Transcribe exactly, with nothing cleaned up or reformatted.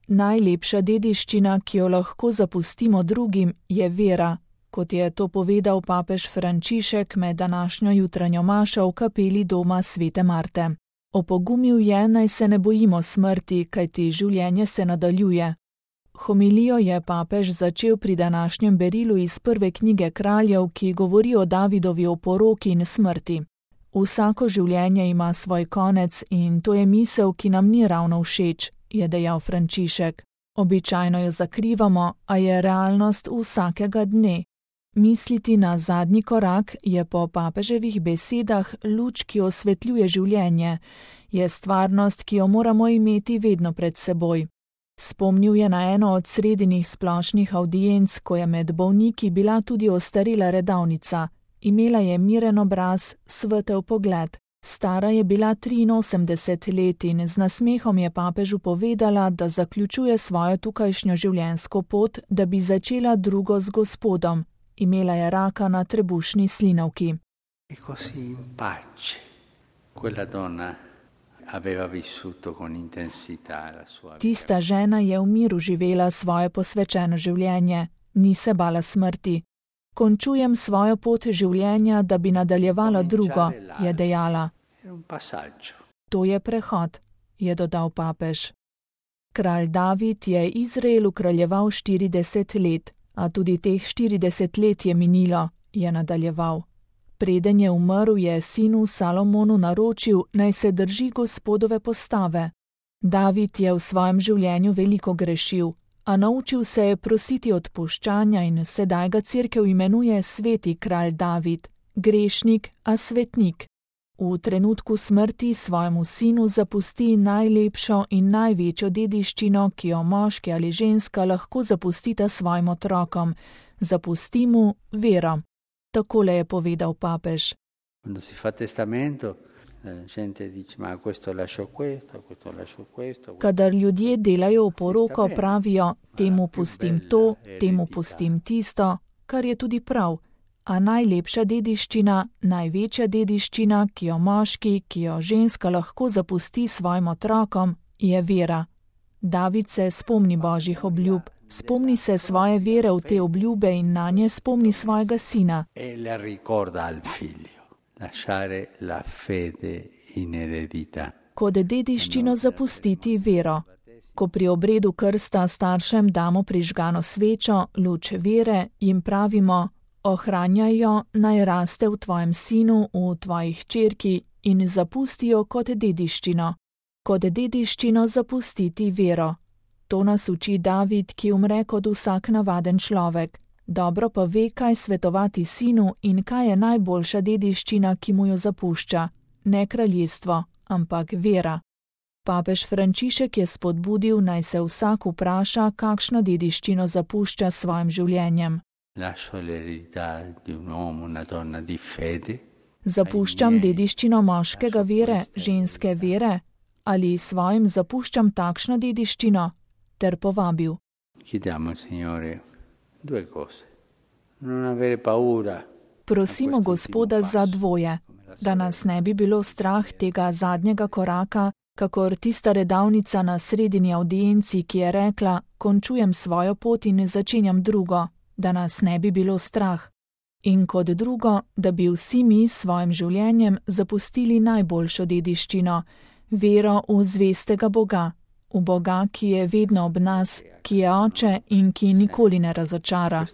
Najlepša dediščina, ki jo lahko zapustimo drugim, je vera, kot je to povedal papež Frančišek med današnjo jutranjo mašo v kapeli doma svete Marte. Opogumil je, naj se ne bojimo smrti, kajti življenje se nadaljuje. Homilijo je papež začel pri današnjem berilu iz prve knjige Kraljev, ki govori o Davidovi oporoki in smrti. Vsako življenje ima svoj konec in to je misel, ki nam ni ravno všeč, je dejal Frančišek. Običajno jo zakrivamo, a je realnost vsakega dne. Misliti na zadnji korak je po papeževih besedah luč, ki osvetljuje življenje, je stvarnost, ki jo moramo imeti vedno pred seboj. Spomnil je na eno od sredinih splošnih avdienc, ko je med bolniki bila tudi ostarela redavnica. Imela je miren obraz, svetel pogled. Stara je bila triinosemdeset let in z nasmehom je papežu povedala, da zaključuje svojo tukajšnjo življenjsko pot, da bi začela drugo z Gospodom. Imela je raka na trebušni slinavki. E così in pace quella donna aveva vissuto con intensità la sua. Tista žena je v miru živela svoje posvečeno življenje, ni se bala smrti. Končujem svojo pot življenja, da bi nadaljevala drugo, je dejala. To je prehod, je dodal papež. Kralj David je Izraelu kraljeval štirideset let, a tudi teh štirideset let je minilo, je nadaljeval. Preden je umrl, je sinu Salomonu naročil, naj se drži Gospodove postave. David je v svojem življenju veliko grešil, a naučil se je prositi odpuščanja in sedaj ga Cerkev imenuje sveti kralj David, grešnik, a svetnik. V trenutku smrti svojemu sinu zapusti najlepšo in največjo dediščino, ki jo moški ali ženska lahko zapustita svojim otrokom. Zapusti mu vero. Takole je povedal papež. Quando si fa testamento, la gente dice, ma questo lascio questo, questo lascio questo. Kadar ljudje delajo oporoko, pravijo, temu pustim to, temu pustim tisto, kar je tudi prav. A najlepša dediščina, največja dediščina, ki jo moški, ki jo ženska lahko zapusti svojim otrokom, je vera. David se spomni Božjih obljub, spomni se svoje vere v te obljube in na nje spomni svojega sina. E le ricorda al figlio, lasciare la fede in eredità. Kot dediščino zapustiti vero. Ko pri obredu krsta staršem damo prižgano svečo, luč vere, jim pravimo, ohranjaj jo, naj raste v tvojem sinu, v tvoji hčerki in zapustijo kot dediščino. Kot dediščino zapustiti vero. To nas uči David, ki umre kot vsak navaden človek. Dobro pa ve, kaj svetovati sinu in kaj je najboljša dediščina, ki mu jo zapušča. Ne kraljestvo, ampak vera. Papež Frančišek je spodbudil, naj se vsak vpraša, kakšno dediščino zapušča svojim življenjem. Zapuščam dediščino moškega vere, ženske vere, ali svojim zapuščam takšno dediščino, ter povabil. Prosimo Gospoda za dvoje, da nas ne bi bilo strah tega zadnjega koraka, kakor tista redavnica na sredini avdienci, ki je rekla, končujem svojo pot in začenjam drugo, da nas ne bi bilo strah. In kot drugo, da bi vsi mi s svojim življenjem zapustili najboljšo dediščino, vero v zvestega Boga, v Boga, ki je vedno ob nas, ki je oče in ki nikoli ne razočara.